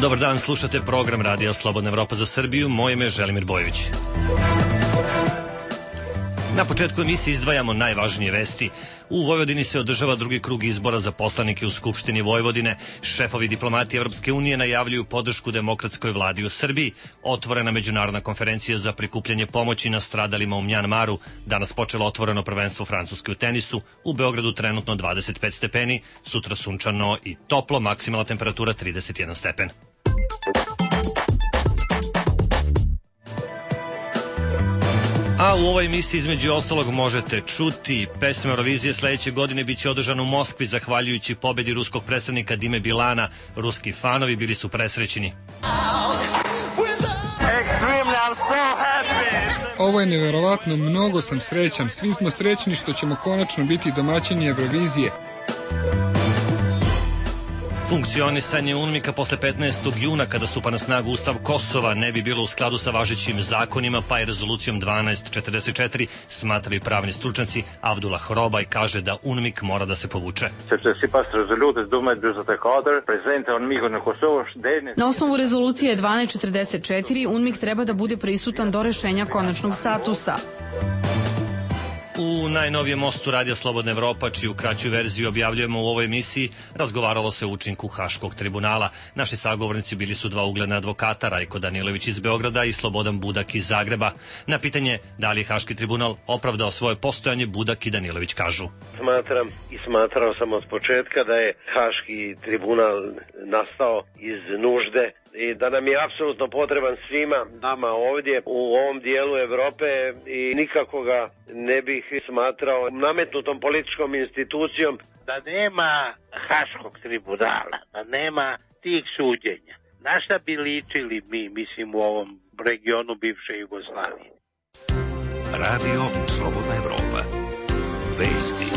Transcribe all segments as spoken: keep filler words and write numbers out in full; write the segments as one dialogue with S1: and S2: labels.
S1: Dobar dan, slušate program Radija Slobodna Evropa za Srbiju. Moje ime je Želimir Bojović. Na početku emisije izdvajamo najvažnije vesti. U Vojvodini se održava drugi krug izbora za poslanike u Skupštini Vojvodine. Šefovi diplomatije Evropske unije najavljuju podršku demokratskoj vladi u Srbiji. Otvorena međunarodna konferencija za prikupljanje pomoći nastradalima u Mjanmaru. Danas počelo otvoreno prvenstvo Francuske u tenisu. U Beogradu trenutno dvadeset pet stepeni, sutra sunčano i toplo, maksimalna temperatura trideset jedan stepen. A u ovoj emisiji između ostalog možete čuti pesme Eurovizije sledeće godine biće održana u Moskvi zahvaljujući pobedi ruskog predstavnika Dime Bilana. Ruski fanovi bili su presrećeni.
S2: Ovo je neverovatno, mnogo sam srećan. Svi smo srećni što ćemo konačno biti domaćini Eurovizije.
S1: Funkcionisanje UNMIK-a posle petnaestog juna kada stupa na snagu Ustav Kosova ne bi bilo u skladu sa važećim zakonima, pa je rezolucijom dvanaest četrdeset četiri smatraju pravni stručnjaci. Avdullah Robaj kaže da UNMIK mora da se povuče.
S3: Na osnovu rezolucije dvanaest četrdeset četiri UNMIK treba da bude prisutan do rešenja konačnog statusa.
S1: U najnovijem mostu Radija Slobodna Evropa, čiju kraću verziju objavljujemo u ovoj emisiji, razgovaralo se o učinku Haškog tribunala. Naši sagovornici bili su dva ugledna advokata, Rajko Danilović iz Beograda i Slobodan Budak iz Zagreba. Na pitanje da li je Haški tribunal opravdao svoje postojanje, Budak i Danilović kažu:
S4: Smatram i smatrao sam od početka da je Haški tribunal nastao iz nužde i da nam je apsolutno potreban svima nama ovdje u ovom dijelu Evrope i nikako ga ne bih smatrao nametnutom političkom institucijom.
S5: Da nema Haškog tribunala, da nema tih suđenja, na šta bi ličili mi, mislim, u ovom regionu bivše Jugoslavije?
S6: Radio Slobodna Evropa. Vesti.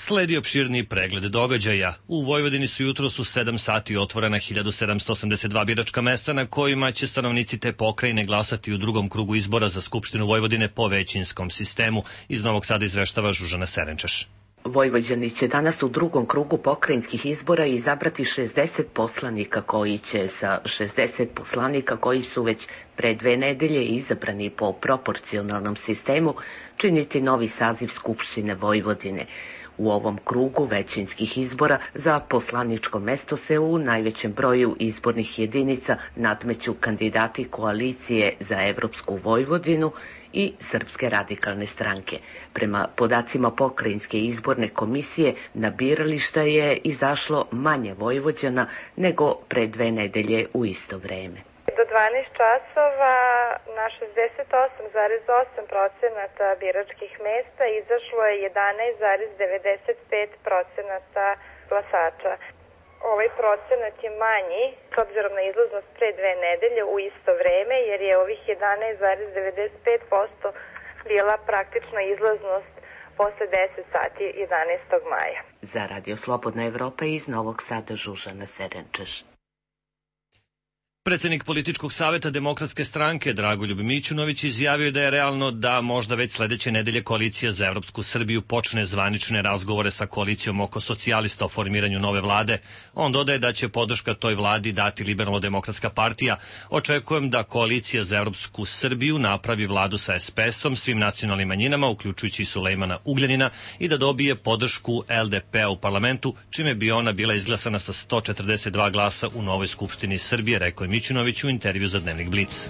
S1: Sledi opširni pregled događaja. U Vojvodini su jutros u sedam sati otvorena hiljadu sedamsto osamdeset dva biračka mesta na kojima će stanovnici te pokrajine glasati u drugom krugu izbora za Skupštinu Vojvodine po većinskom sistemu. Iz Novog Sada izveštava Žužana Serenčeš.
S7: Vojvođani će danas u drugom krugu pokrajinskih izbora izabrati šezdeset poslanika koji će sa šezdeset poslanika koji su već pre dve nedelje izabrani po proporcionalnom sistemu činiti novi saziv Skupštine Vojvodine. U ovom krugu većinskih izbora za poslaničko mesto se u najvećem broju izbornih jedinica nadmeću kandidati koalicije za Evropsku Vojvodinu i Srpske radikalne stranke. Prema podacima Pokrajinske izborne komisije na birališta je izašlo manje Vojvođana nego pre dve nedelje u isto vreme.
S8: Do dvanaest časova na šezdeset osam zarez osam procenata biračkih mesta izašlo je jedanaest zarez devedeset pet procenata glasača. Ovaj procenat je manji s obzirom na izlaznost pre dve nedelje u isto vreme, jer je ovih jedanaest zarez devedeset pet posto bila praktična izlaznost posle deset sati jedanaestog maja.
S7: Za Radio Slobodna Evropa iz Novog Sada Žužana Serenčeš.
S1: Predsednik Političkog saveta Demokratske stranke Dragoljub Mićunović izjavio da je realno da možda već sledeće nedelje Koalicija za Evropsku Srbiju počne zvanične razgovore sa koalicijom oko socijalista o formiranju nove vlade. On dodaje da će podrška toj vladi dati Liberalno-demokratska partija. Očekujem da Koalicija za Evropsku Srbiju napravi vladu sa es pe esom, svim nacionalnim manjinama, uključujući i Sulejmana Ugljanina, i da dobije podršku el de pe-a u parlamentu, čime bi ona bila izglasana sa sto četrdeset dva glasa u novoj Skupštini Srbije, rekao je Mićunović u intervju za Dnevnik Blic.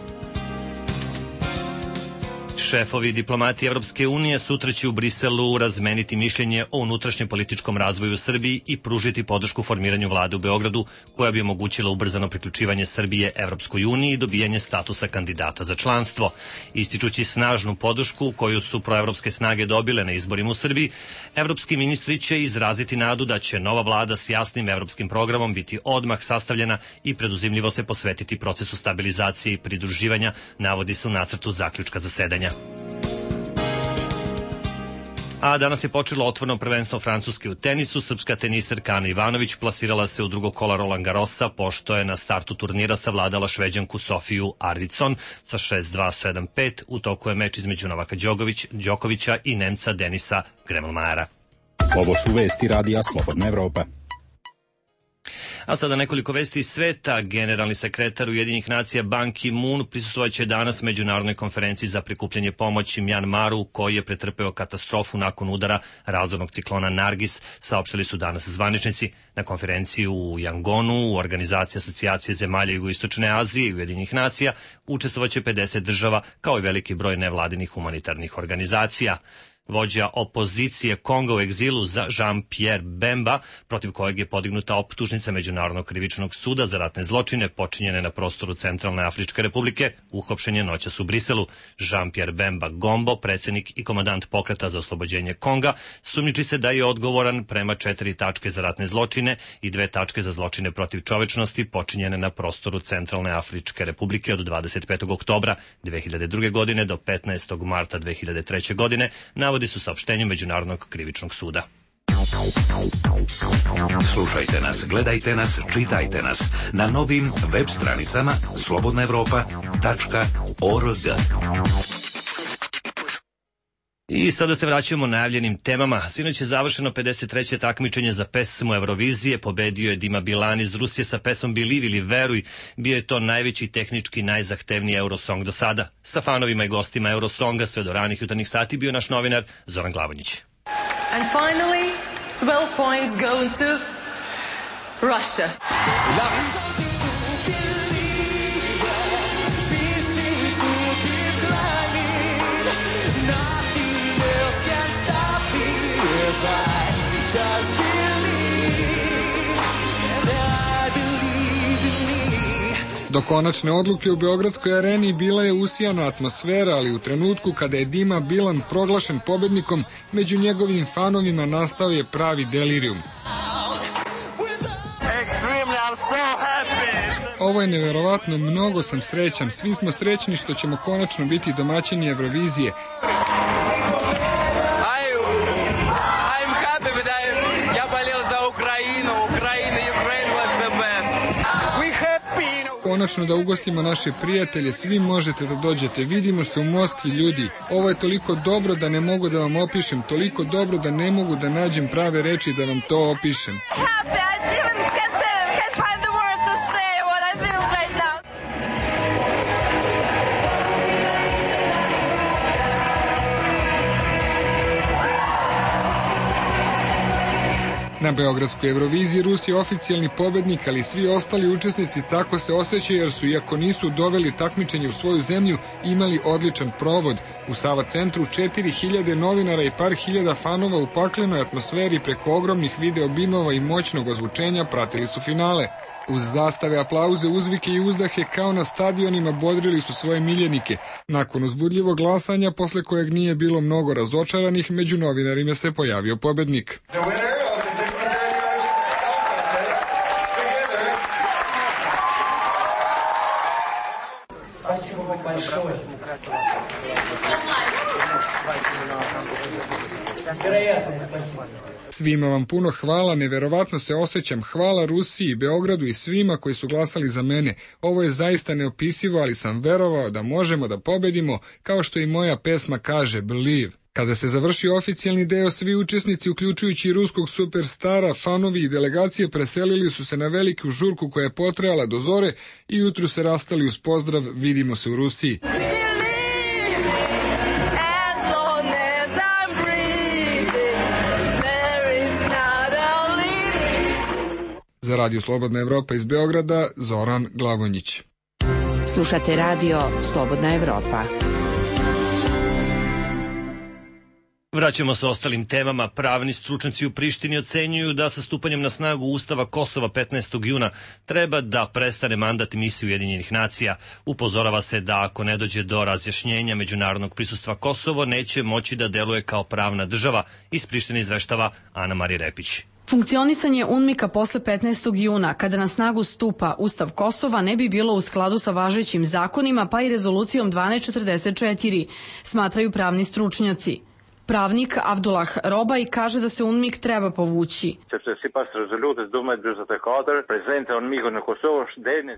S1: Šefovi diplomatije Evropske unije sutra će u Briselu razmeniti mišljenje o unutrašnjem političkom razvoju u Srbiji i pružiti podršku formiranju vlade u Beogradu, koja bi omogućila ubrzano priključivanje Srbije Evropskoj uniji i dobijanje statusa kandidata za članstvo. Ističući snažnu podršku koju su proevropske snage dobile na izborima u Srbiji, evropski ministri će izraziti nadu da će nova vlada s jasnim evropskim programom biti odmah sastavljena i preduzimljivo se posvetiti procesu stabilizacije i pridruživanja, navodi se u nacrtu zaključka zasedanja. A danas je počelo otvoreno prvenstvo Francuske u tenisu. Srpska teniserka Ana Ivanović plasirala se u drugo kola Roland Garrosa, pošto je na startu turnira savladala Šveđanku Sofiju Arvidsson sa šest dva sedam pet. U toku je meč između Novaka Đokovića i Nemca Denisa Gremlmajera.
S9: Ovo su vesti Radija Slobodna Evropa.
S1: A sada nekoliko vesti iz sveta. Generalni sekretar Ujedinjenih nacija Ban Ki-moon prisustvovaće danas međunarodnoj konferenciji za prikupljanje pomoći Mjanmaru, koji je pretrpeo katastrofu nakon udara razornog ciklona Nargis, saopštili su danas zvaničnici. Na konferenciji u Yangonu, u organizaciji Asocijacije zemalja Jugoistočne Azije i Ujedinjenih nacija, učestvovaće pedeset država, kao i veliki broj nevladinih humanitarnih organizacija. Vođa opozicije Konga u egzilu Jean-Pierre Bemba, protiv kojeg je podignuta optužnica Međunarodnog krivičnog suda za ratne zločine počinjene na prostoru Centralne Afričke republike, uhapšen je noćas u Briselu. Jean-Pierre Bemba Gombo, predsjednik i komandant pokreta za oslobođenje Konga, sumnjiči se da je odgovoran prema četiri tačke za ratne zločine i dve tačke za zločine protiv čovečnosti počinjene na prostoru Centralne Afričke republike od dvadeset petog oktobra dve hiljade druge. godine do petnaestog marta dve hiljade treće. godine, navodi su saopštenju Međunarodnog krivičnog suda.
S6: Slušajte nas, gledajte nas, čitajte nas na novim web stranicama slobodna evropa tačka org.
S1: I sada se vraćamo najavljenim temama. Sinoć je završeno pedeset treće takmičenje za pesmu Eurovizije. Pobedio je Dima Bilan iz Rusije sa pesmom Believe ili Veruj. Bio je to najveći tehnički najzahtevniji Eurosong do sada. Sa fanovima i gostima Eurosonga sve do ranih jutarnjih sati bio naš novinar Zoran Glavonjić.
S9: And finally, twelve points go to Russia.
S2: Do konačne odluke u Beogradskoj areni bila je usijana atmosfera, ali u trenutku kada je Dima Bilan proglašen pobednikom, među njegovim fanovima nastao je pravi delirijum. Ovo je neverovatno, mnogo sam srećan, svi smo srećni što ćemo konačno biti domaćini Eurovizije. Konačno da ugostimo naše prijatelje, svi možete da dođete, vidimo se u Moskvi ljudi. Ovo je toliko dobro da ne mogu da vam opišem, toliko dobro da ne mogu da nađem prave reči da vam to opišem. Na Beogradskoj Euroviziji Rus je oficijalni pobednik, ali svi ostali učesnici tako se osjećaju jer su, iako nisu doveli takmičenje u svoju zemlju, imali odličan provod. U Sava centru četiri hiljade novinara i par hiljada fanova u paklenoj atmosferi preko ogromnih video bimova i moćnog ozvučenja pratili su finale. Uz zastave, aplauze, uzvike i uzdahe kao na stadionima bodrili su svoje miljenike. Nakon uzbudljivog glasanja, posle kojeg nije bilo mnogo razočaranih, među novinarima se pojavio pobednik. Svima vam puno hvala, neverovatno se osjećam. Hvala Rusiji, Beogradu i svima koji su glasali za mene. Ovo je zaista neopisivo, ali sam verovao da možemo da pobedimo, kao što i moja pesma kaže, Believe. Kada se završio oficijalni deo, svi učesnici, uključujući i ruskog superstara, fanovi i delegacije, preselili su se na veliku žurku koja je potrajala do zore i jutru se rastali uz pozdrav vidimo se u Rusiji. Za Radio Slobodna Evropa iz Beograda, Zoran Glavonjić.
S10: Slušate Radio Slobodna Evropa.
S1: Vraćamo se ostalim temama. Pravni stručnjaci u Prištini ocenjuju da sa stupanjem na snagu Ustava Kosova petnaestog juna treba da prestane mandat misiji Ujedinjenih nacija. Upozorava se da ako ne dođe do razjašnjenja međunarodnog prisustva Kosovo, neće moći da deluje kao pravna država. Iz Prištine izveštava Ana Marija Repić.
S3: Funkcionisanje UNMIK-a posle petnaestog juna, kada na snagu stupa Ustav Kosova, ne bi bilo u skladu sa važećim zakonima, pa i rezolucijom dvanaest četrdeset četiri, smatraju pravni stručnjaci. Pravnik Avdullah Robaj kaže da se UNMIK treba povući.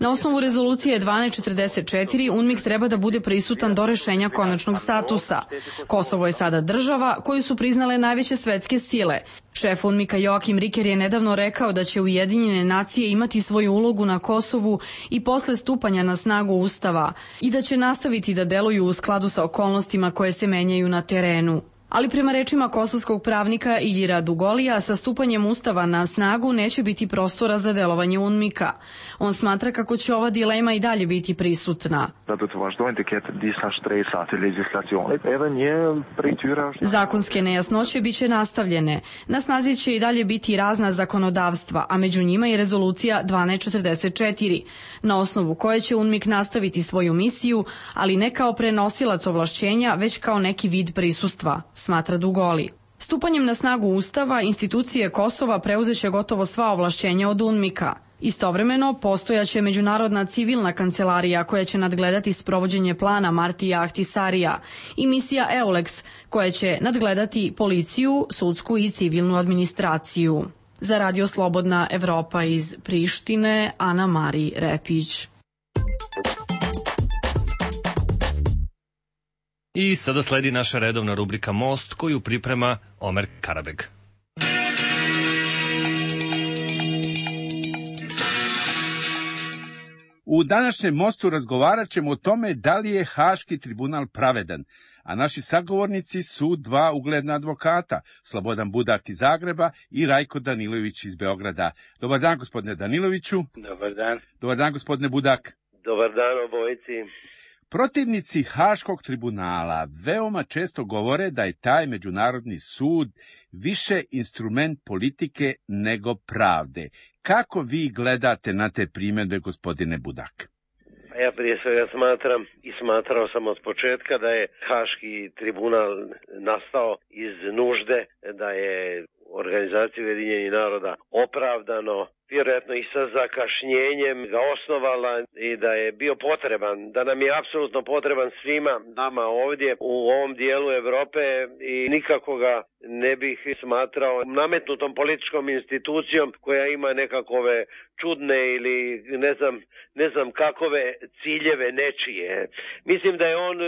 S3: Na osnovu rezolucije dvanaest četrdeset četiri UNMIK treba da bude prisutan do rešenja konačnog statusa. Kosovo je sada država koju su priznale najveće svetske sile. Šef UNMIK-a Joakim Riker je nedavno rekao da će Ujedinjene nacije imati svoju ulogu na Kosovu i posle stupanja na snagu Ustava i da će nastaviti da deluju u skladu sa okolnostima koje se menjaju na terenu. Ali prema rečima kosovskog pravnika Iljira Dugolija, sa stupanjem Ustava na snagu neće biti prostora za delovanje UNMIK-a. On smatra kako će ova dilema i dalje biti prisutna. Zakonske nejasnoće biće nastavljene. Na snazi će i dalje biti razna zakonodavstva, a među njima i rezolucija dvanaest četrdeset četiri, na osnovu koje će UNMIK nastaviti svoju misiju, ali ne kao prenosilac ovlašćenja, već kao neki vid prisustva, smatra Dugoli. Stupanjem na snagu Ustava, institucije Kosova preuzeće gotovo sva ovlašćenja od UNMIK-a. Istovremeno, postojaće Međunarodna civilna kancelarija koja će nadgledati sprovođenje plana Martija Ahtisarija i misija EULEX koja će nadgledati policiju, sudsku i civilnu administraciju. Za Radio Slobodna Evropa iz Prištine, Ana Mari Repić.
S1: I sada sledi naša redovna rubrika Most koju priprema Omer Karabeg.
S11: U današnjem Mostu razgovarat ćemo o tome da li je Haški tribunal pravedan, a naši sagovornici su dva ugledna advokata, Slobodan Budak iz Zagreba i Rajko Danilović iz Beograda. Dobar dan, gospodine Daniloviću.
S5: Dobar dan.
S11: Dobar dan, gospodine Budak.
S4: Dobar dan obojici.
S11: Protivnici Haškog tribunala veoma često govore da je taj međunarodni sud više instrument politike nego pravde. Kako vi gledate na te primjedbe, gospodine Budak?
S4: Ja prije svega smatram i smatrao sam od početka da je Haški tribunal nastao iz nužde, da je Organizacija Ujedinjenih naroda opravdano, vjerojatno i sa zakašnjenjem ga osnovala i da je bio potreban, da nam je apsolutno potreban svima nama ovdje u ovom dijelu Evrope i nikako ga ne bih smatrao nametnutom političkom institucijom koja ima nekakove čudne ili ne znam, ne znam kakove ciljeve nečije. Mislim da je on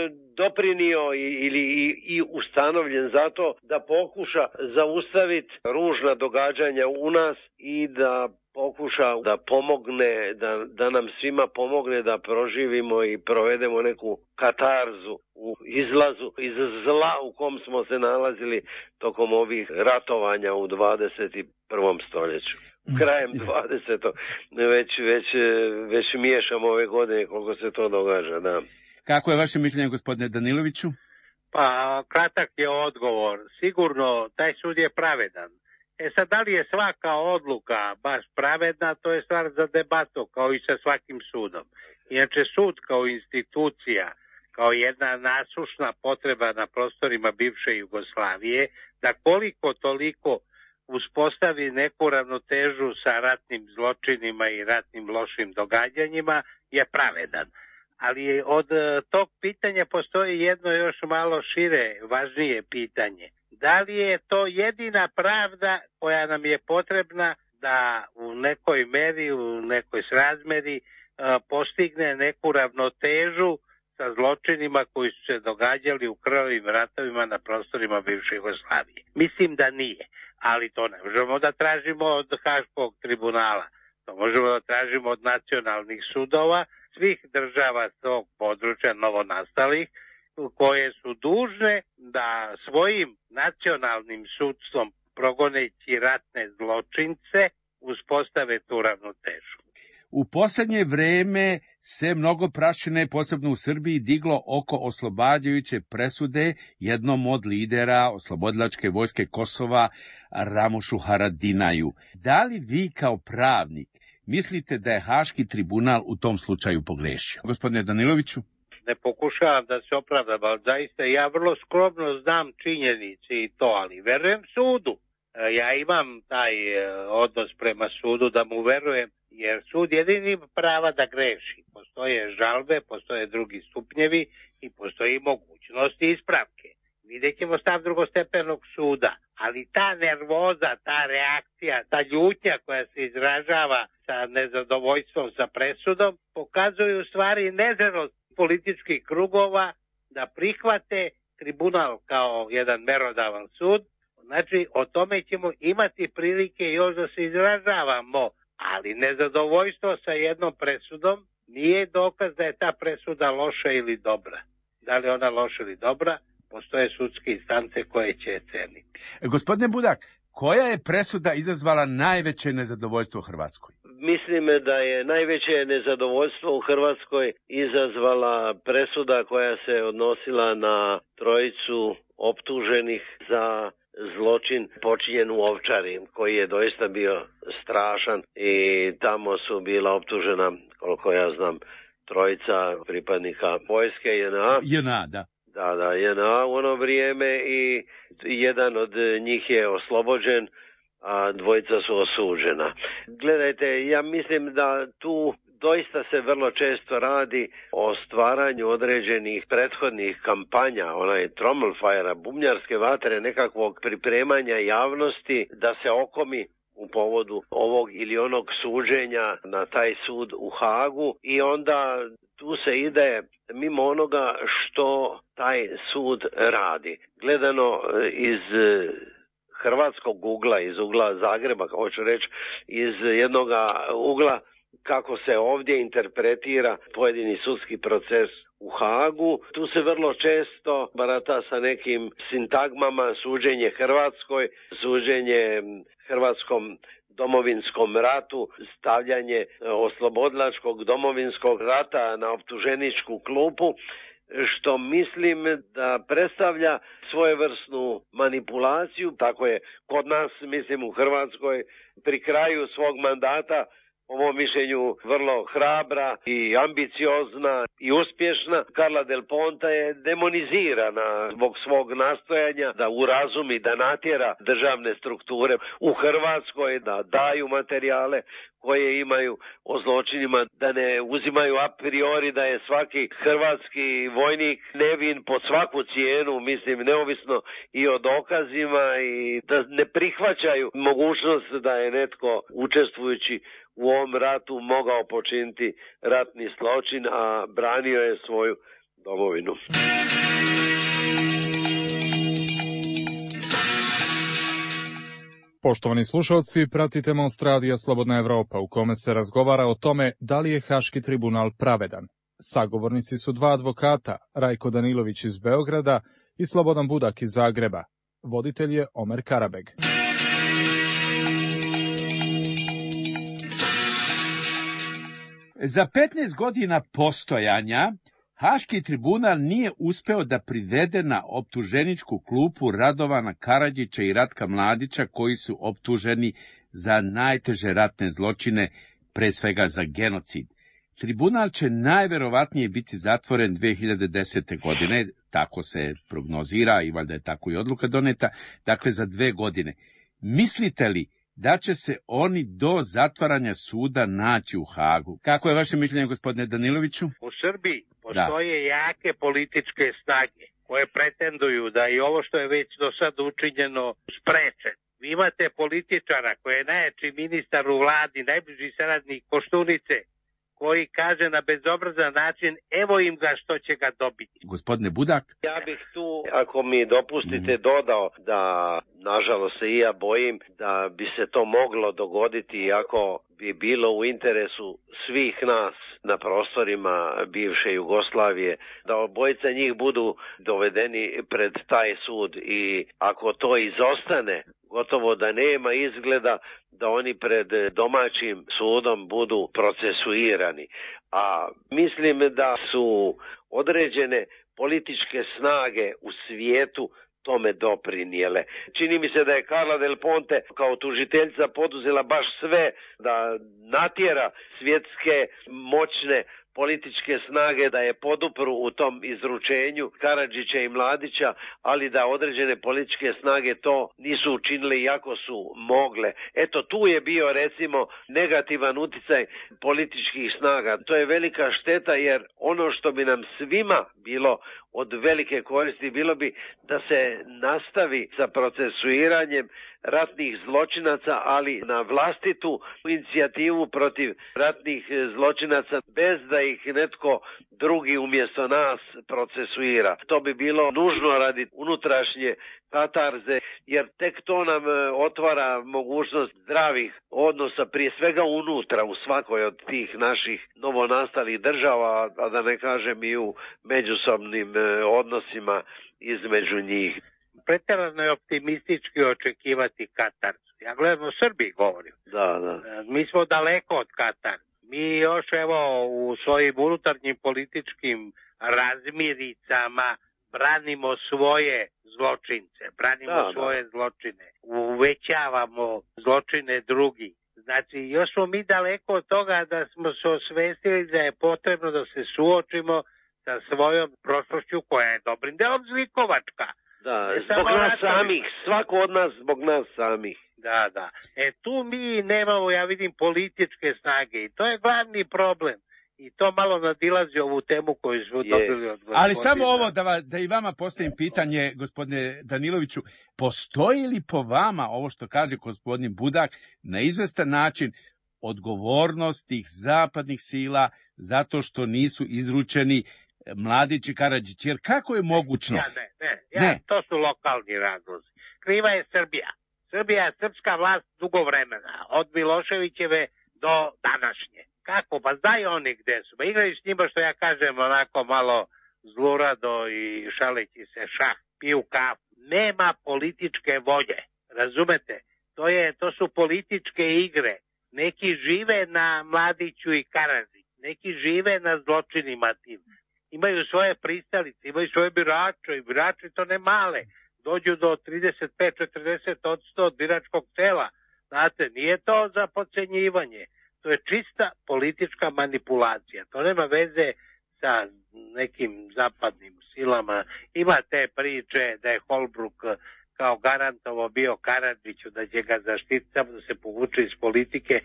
S4: doprinio ili i, i ustanovljen zato da pokuša zaustaviti ružna događanja u nas i da pokuša da pomogne, da, da nam svima pomogne da proživimo i provedemo neku katarzu u izlazu iz zla u kom smo se nalazili tokom ovih ratovanja u dvadeset prvom stoljeću. Krajem dvadesetog već, već, već miješamo ove godine koliko se to događa. Da.
S11: Kako je vaše mišljenje, gospodine Daniloviću?
S5: Pa, kratak je odgovor. Sigurno, taj sud je pravedan. E sad, da li je svaka odluka baš pravedna, to je stvar za debatu, kao i sa svakim sudom. Inače, sud kao institucija, kao jedna nasušna potreba na prostorima bivše Jugoslavije, da koliko toliko uspostavi neku ravnotežu sa ratnim zločinima i ratnim lošim događanjima, je pravedan. Ali od tog pitanja postoji jedno još malo šire, važnije pitanje. Da li je to jedina pravda koja nam je potrebna da u nekoj meri, u nekoj srazmeri postigne neku ravnotežu sa zločinima koji su se događali u krvavim ratovima na prostorima bivše Jugoslavije? Mislim da nije, ali to ne možemo da tražimo od Haškog tribunala. To možemo da tražimo od nacionalnih sudova svih država tog područja novonastalih, koje su dužne da svojim nacionalnim sudstvom, progoneći ratne zločince, uspostave tu ravnotežu.
S11: U posljednje vreme se mnogo prašine, posebno u Srbiji, diglo oko oslobađajuće presude jednom od lidera oslobodilačke vojske Kosova, Ramušu Haradinaju. Da li vi kao pravnik mislite da je Haški tribunal u tom slučaju pogrešio? Gospodine Daniloviću?
S5: Ne pokušavam da se opravdam, ali zaista ja vrlo skromno znam činjenice i to, ali verujem sudu. Ja imam taj odnos prema sudu da mu verujem, jer sud jedini prava da greši. Postoje žalbe, postoje drugi stupnjevi i postoji mogućnosti ispravke. Vi vidjet ćemo stav drugostepenog suda. Ali ta nervoza, ta reakcija, ta ljutnja koja se izražava sa nezadovoljstvom sa presudom, pokazuju u stvari nezrelost političkih krugova da prihvate tribunal kao jedan merodavan sud. Znači, o tome ćemo imati prilike još da se izražavamo, ali nezadovoljstvo sa jednom presudom nije dokaz da je ta presuda loša ili dobra. Da li ona loša ili dobra, postoje sudske instance koje će je ceniti.
S11: Gospodine Budak, koja je presuda izazvala najveće nezadovoljstvo u Hrvatskoj?
S4: Mislim da je najveće nezadovoljstvo u Hrvatskoj izazvala presuda koja se odnosila na trojicu optuženih za zločin počinjen u Ovčari, koji je doista bio strašan i tamo su bila optužena, koliko ja znam, trojica pripadnika vojske J N A.
S11: J N A, da.
S4: Da, da, J N A u ono vrijeme i jedan od njih je oslobođen, a dvojica su osuđena. Gledajte, ja mislim da tu doista se vrlo često radi o stvaranju određenih prethodnih kampanja, onaj trommelfajera, bubnjarske vatre, nekakvog pripremanja javnosti da se okomi u povodu ovog ili onog suđenja na taj sud u Hagu i onda tu se ide mimo onoga što taj sud radi. Gledano iz hrvatskog ugla, iz ugla Zagreba, hoću reći, iz jednog ugla kako se ovdje interpretira pojedini sudski proces u Hagu. Tu se vrlo često barata sa nekim sintagmama, suđenje Hrvatskoj, suđenje hrvatskom domovinskom ratu, stavljanje oslobodilačkog domovinskog rata na optuženičku klupu, što mislim da predstavlja svojevrsnu manipulaciju. Tako je kod nas, mislim u Hrvatskoj, pri kraju svog mandata, po mom mišljenju vrlo hrabra i ambiciozna i uspješna, Carla Del Ponte je demonizirana zbog svog nastojanja da urazumi, da natjera državne strukture u Hrvatskoj da daju materijale koje imaju o zločinima, da ne uzimaju a priori da je svaki hrvatski vojnik nevin pod svaku cijenu, mislim, neovisno i o dokazima, i da ne prihvaćaju mogućnost da je netko učestvujući u ovom ratu mogao počiniti ratni zločin, a branio je svoju domovinu.
S12: Poštovani slušalci, pratite Most radija Slobodna Evropa, u kome se razgovara o tome da li je Haški tribunal pravedan. Sagovornici su dva advokata, Rajko Danilović iz Beograda i Slobodan Budak iz Zagreba. Voditelj je Omer Karabeg.
S11: Za petnaest godina postojanja Haški tribunal nije uspeo da privede na optuženičku klupu Radovana Karadžića i Ratka Mladića, koji su optuženi za najteže ratne zločine, pre svega za genocid. Tribunal će najverovatnije biti zatvoren dve hiljade desete. godine, tako se prognozira i valjda je tako i odluka doneta, dakle za dve godine. Mislite li da će se oni do zatvaranja suda naći u Hagu? Kako je vaše mišljenje, gospodine Daniloviću?
S5: U Srbiji postoje da. jake političke snage koje pretenduju da i ovo što je već do sad učinjeno spreče. Vi imate političara koji je najjači ministar u vladi, najbliži saradnik Koštunice, koji kaže na bezobrazan način, evo im ga što će ga dobiti.
S11: Gospodine Budak?
S4: Ja bih tu, ako mi dopustite, mm. dodao da, nažalost se i ja bojim, da bi se to moglo dogoditi iako bi bilo u interesu svih nas na prostorima bivše Jugoslavije, da obojica njih budu dovedeni pred taj sud, i ako to izostane, gotovo da nema izgleda da oni pred domaćim sudom budu procesuirani. A mislim da su određene političke snage u svijetu tome doprinijele. Čini mi se da je Carla Del Ponte kao tužiteljica poduzela baš sve da natjera svjetske moćne političke snage da je podupru u tom izručenju Karadžića i Mladića, ali da određene političke snage to nisu učinile iako su mogle. Eto, tu je bio recimo negativan uticaj političkih snaga. To je velika šteta, jer ono što bi nam svima bilo od velike koristi bilo bi da se nastavi sa procesuiranjem ratnih zločinaca, ali na vlastitu inicijativu protiv ratnih zločinaca, bez da ih netko drugi umjesto nas procesuira. To bi bilo nužno radi unutrašnje katarze, jer tek to nam otvara mogućnost zdravih odnosa, prije svega unutra, u svakoj od tih naših novonastalih država, a da ne kažem i u međusobnim odnosima između njih.
S5: Pretjerano je optimistički očekivati katarzu. Ja gledam o Srbiji govorim.
S4: Da, da.
S5: Mi smo daleko od Katar. Mi još evo u svojim unutarnjim političkim razmiricama branimo svoje zločince, branimo da, svoje da. zločine, uvećavamo zločine drugih. Znači, još smo mi daleko od toga da smo se osvestili da je potrebno da se suočimo sa svojom prošlošću koja je dobrim delom zlikovačka.
S4: Da, zbog nas ratovi. samih, svako od nas zbog nas samih.
S5: Da, da. E tu mi nemamo, ja vidim, političke snage i to je glavni problem. I to malo nadilazi ovu temu koju smo je. dobili od gospodina.
S11: Ali samo ovo, da, va, da i vama postavim pitanje, gospodine Daniloviću, postoji li po vama, ovo što kaže gospodin Budak, na izvestan način odgovornost tih zapadnih sila zato što nisu izručeni Mladić i Karadžić, jer kako je mogućno?
S5: Ja, ne, ne, ja, ne. To su lokalni razlozi. Kriva je Srbija. Srbija je srpska vlast dugo vremena, od Miloševićeve do današnje. Kako? Pa znaju oni gde su. Pa igraju s njima, što ja kažem, onako malo zlurado i šaleći se šah, piju kafu. Nema političke volje. Razumete? To, je, to su političke igre. Neki žive na Mladiću i Karadžiću. Neki žive na zločinima tim. Imaju svoje pristalice, imaju svoje birače i birači to ne male. Dođu do trideset pet do četrdeset odsto od biračkog tela. Znate, nije to za podcenjivanje. To je čista politička manipulacija. To nema veze sa nekim zapadnim silama. Ima te priče da je Holbruk kao garantovo bio Karadžiću, da će ga zaštiti samo da se povuče iz politike.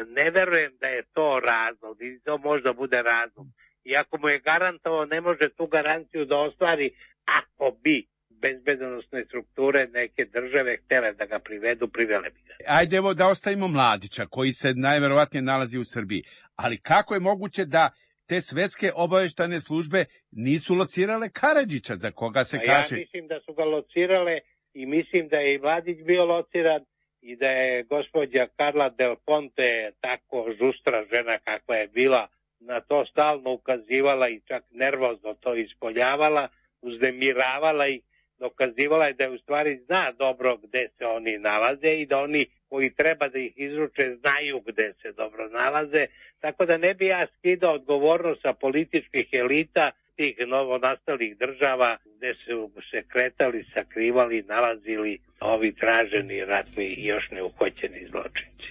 S5: Ne verujem da je to razlog. I to možda bude razlog. Iako mu je garantovao, ne može tu garanciju da ostvari ako bi bezbednosne strukture neke države htjele da ga privedu, privele bi ga.
S11: Ajde evo da ostavimo Mladića, koji se najverovatnije nalazi u Srbiji. Ali kako je moguće da te svetske obavještajne službe nisu locirale Karadžića, za koga se
S5: A
S11: kaže?
S5: Ja mislim da su ga locirale i mislim da je i Mladić bio lociran i da je gospođa Carla Del Ponte, tako žustra žena kakva je bila, na to stalno ukazivala i čak nervozno to ispoljavala, uzdemiravala i dokazivala je da je u stvari zna dobro gde se oni nalaze i da oni koji treba da ih izruče znaju gde se dobro nalaze, tako da ne bi ja skidao odgovornost sa političkih elita tih novonastalih država gde su se kretali, sakrivali, nalazili ovi traženi ratni i još neuhoćeni zločinci.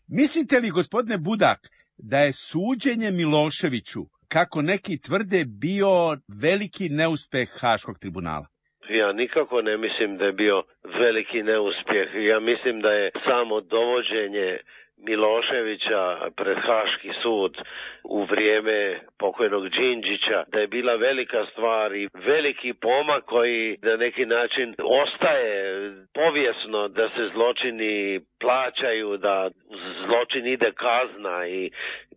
S11: Mislite li, gospodine Budak, da je suđenje Miloševiću, kako neki tvrde, bio veliki neuspeh Haškog tribunala?
S4: Ja nikako ne mislim da je bio veliki neuspjeh. Ja mislim da je samo dovođenje Miloševića pred Haški sud u vrijeme pokojnog Đinđića, da je bila velika stvar i veliki pomak koji na neki način ostaje povijesno, da se zločini plaćaju, da zločin ide kazna i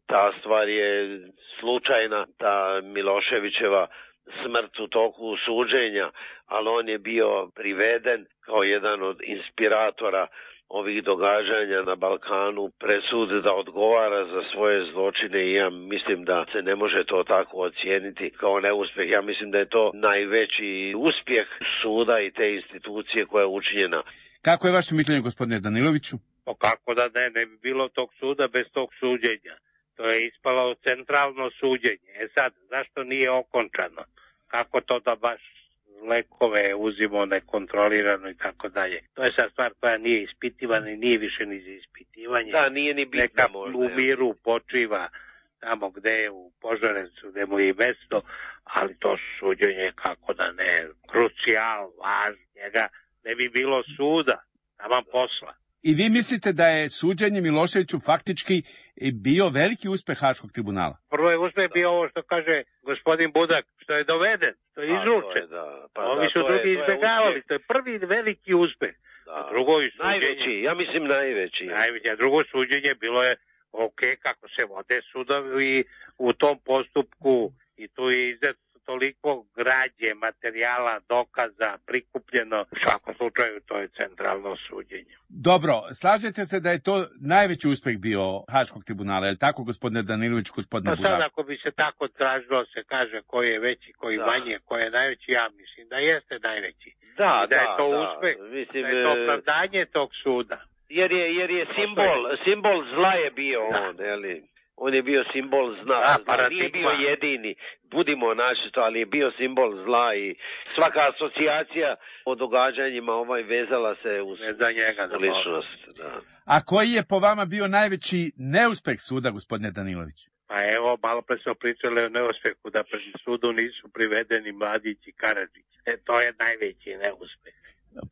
S4: ta stvar je slučajna, ta Miloševićeva smrt u toku suđenja, ali on je bio priveden kao jedan od inspiratora ovih događanja na Balkanu, presud da odgovara za svoje zločine i ja mislim da se ne može to tako ocijeniti kao neuspjeh. Ja mislim da je to najveći uspjeh suda i te institucije koja je učinjena.
S11: Kako je vaše mišljenje, gospodine Daniloviću?
S5: Pa kako da ne, ne bi bilo tog suda bez tog suđenja. To je ispalo centralno suđenje. E sad, zašto nije okončano? Kako to da baš lekove uzimo nekontrolirano i tako dalje. To je sad stvar koja nije ispitivana i nije više ni za ispitivanje.
S4: Da, nije ni bitno.
S5: Neka
S4: možda,
S5: u miru počiva tamo gde je u Požarevcu, gde mu je i mesto, ali to suđenje, kako da ne, krucijal, važno, njega ne bi bilo suda, tamo posla.
S11: I vi mislite da je suđenje Miloševiću faktički bio veliki uspeh Haškog tribunala?
S5: Prvo je uspeh bio ovo što kaže gospodin Budak, što je doveden, što je izručen.
S4: Da, pa
S5: Ovi
S4: da,
S5: su
S4: to
S5: drugi
S4: je, to je
S5: izbjegavali,
S4: uspjeh.
S5: to je prvi veliki uspeh.
S4: Da.
S5: Drugo suđenje,
S4: Najveći, ja mislim najveći.
S5: Najveći, a drugo suđenje bilo je ok, kako se vode sudovi u tom postupku i tu je izdet toliko građe, materijala, dokaza, prikupljeno. U svakom slučaju to je centralno suđenje.
S11: Dobro, slažete se da je to najveći uspeh bio Haškog tribunala, je li tako, gospodine Danilović, gospodine
S5: Pa
S11: Budak?
S5: sad ako bi se tako tražilo, se kaže koji je veći, koji
S4: Da.
S5: manje, koji je najveći, ja mislim da jeste najveći.
S4: Da,
S5: I da je
S4: da,
S5: to
S4: da.
S5: uspeh,
S4: Mislim,
S5: da je to
S4: e,
S5: opravdanje tog suda.
S4: Jer je, jer je simbol, simbol zla je bio
S5: Da.
S4: on, jeli? On je bio simbol zla,
S5: Da,
S4: zla.
S5: paradigma.
S4: Nije bio jedini, budimo načisto, ali je bio simbol zla i svaka asocijacija o događanjima ovaj vezala se uz
S5: Ne za njega, za
S4: ličnost. Da.
S11: A koji je po vama bio najveći neuspeh suda, gospodine Danilović?
S5: Pa evo, malo pre smo pričali o neuspehu, da pred sudu nisu privedeni Mladić i Karadžić. E, to je najveći neuspeh.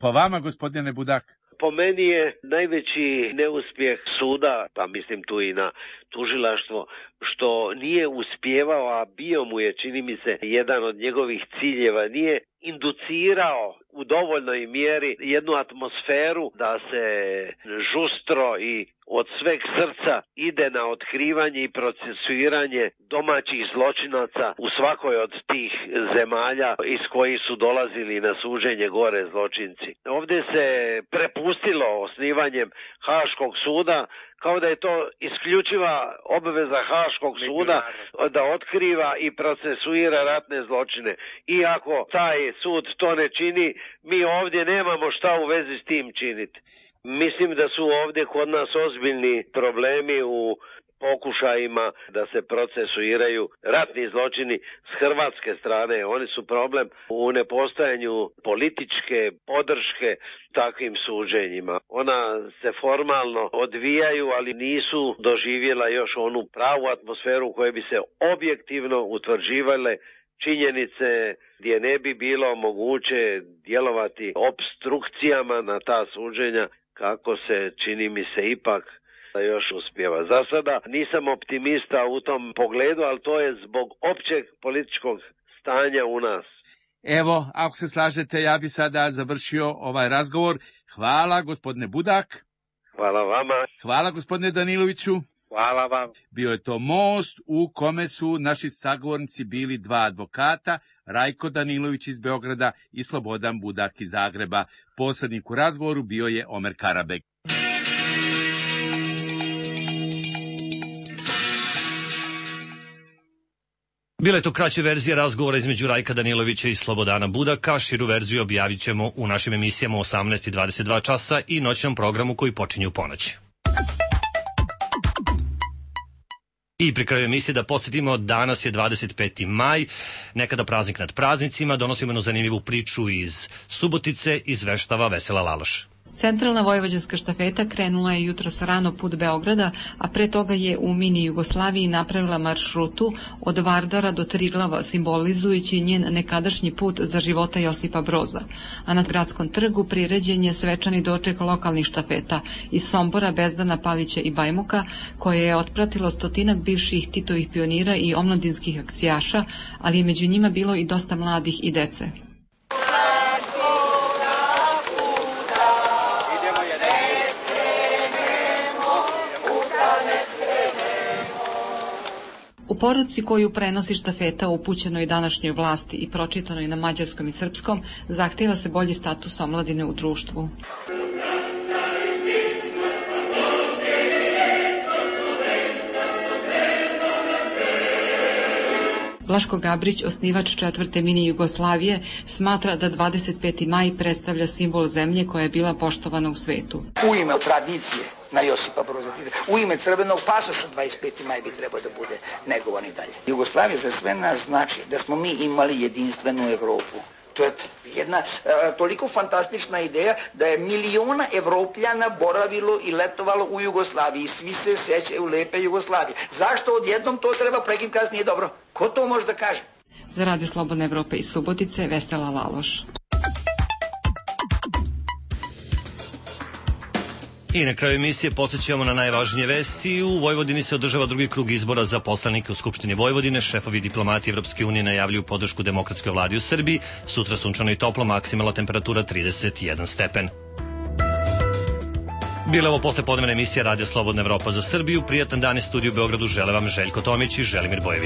S11: Po vama, gospodine Budak?
S4: Po meni je najveći neuspjeh suda, pa mislim tu i na tužilaštvo, što nije uspijevao, a bio mu je, čini mi se, jedan od njegovih ciljeva, nije inducirao u dovoljnoj mjeri jednu atmosferu da se žustro i od sveg srca ide na otkrivanje i procesuiranje domaćih zločinaca u svakoj od tih zemalja iz kojih su dolazili na suđenje gore zločinci. Ovdje se prepustilo osnivanjem Haškog suda kao da je to isključiva obaveza Haškog suda da otkriva i procesuira ratne zločine. Iako taj sud to ne čini, mi ovdje nemamo šta u vezi s tim činiti. Mislim da su ovdje kod nas ozbiljni problemi u pokušajima da se procesuiraju ratni zločini s hrvatske strane. Oni su problem u nepostojanju političke podrške takvim suđenjima. Ona se formalno odvijaju, ali nisu doživjela još onu pravu atmosferu u kojoj bi se objektivno utvrđivale činjenice, gdje ne bi bilo moguće djelovati obstrukcijama na ta suđenja, kako se, čini mi se, ipak da još uspjeva. Za sada nisam optimista u tom pogledu, ali to je zbog općeg političkog stanja u nas.
S11: Evo, ako se slažete, ja bi sada završio ovaj razgovor. Hvala, gospodine Budak.
S4: Hvala vama.
S11: Hvala, gospodine Daniloviću.
S5: Hvala vam.
S11: Bio je to most u kome su naši sagovornici bili dva advokata, Rajko Danilović iz Beograda i Slobodan Budak iz Zagreba. Posrednik u razgovoru bio je Omer Karabek.
S1: Bila je to kraća verzija razgovora između Rajka Danilovića i Slobodana Budaka. Širu verziju objavit ćemo u našim emisijama osamnaest i dvadeset dva časa i noćnom programu koji počinje u ponoć. I pri kraju emisije da podsjetimo, danas je dvadeset peti maj, nekada praznik nad praznicima, donosimo jednu zanimljivu priču iz Subotice, izveštava Vesela Laloš.
S13: Centralna vojvođanska štafeta krenula je jutros rano put Beograda, a pre toga je u mini Jugoslaviji napravila maršrutu od Vardara do Triglava, simbolizujući njen nekadašnji put za života Josipa Broza. A na gradskom trgu priređen je svečani doček lokalnih štafeta iz Sombora, Bezdana, Palića i Bajmoka, koje je otpratilo stotinak bivših Titovih pionira i omladinskih akcijaša, ali je među njima bilo i dosta mladih i dece. U poruci koju prenosi štafeta upućenoj današnjoj vlasti i pročitanoj na mađarskom i srpskom, zahteva se bolji status omladine u društvu. Blaško Gabrić, osnivač četvrte mini Jugoslavije, smatra da dvadeset peti maj predstavlja simbol zemlje koja je bila poštovana u svetu.
S14: U ime tradicije na Josipa Broza Tita, u ime crvenog pasoša dvadeset peti maj bi trebao da bude negovan i dalje. Jugoslavija za sve nas znači da smo mi imali jedinstvenu Evropu. To je jedna uh, toliko fantastična ideja da je miliona Evropljana boravilo i letovalo u Jugoslaviji. Svi se sećaju lepe Jugoslavije. Zašto odjednom to treba prekinuti kad nije dobro? Ko to može da kaže?
S13: Za Radio Slobodna Evropa iz Subotice, Vesela Laloš.
S1: I na kraju emisije podsjećamo na najvažnije vesti. U Vojvodini se održava drugi krug izbora za poslanike u Skupštini Vojvodine. Šefovi diplomati Evropske unije najavljuju podršku demokratskoj vladi u Srbiji. Sutra sunčano i toplo, maksimalna temperatura trideset jedan stepen. Bila ovo posle podnevna emisija Radija Slobodna Evropa za Srbiju. Prijatan dan iz studiju u Beogradu žele vam Željko Tomić i Želimir Bojević.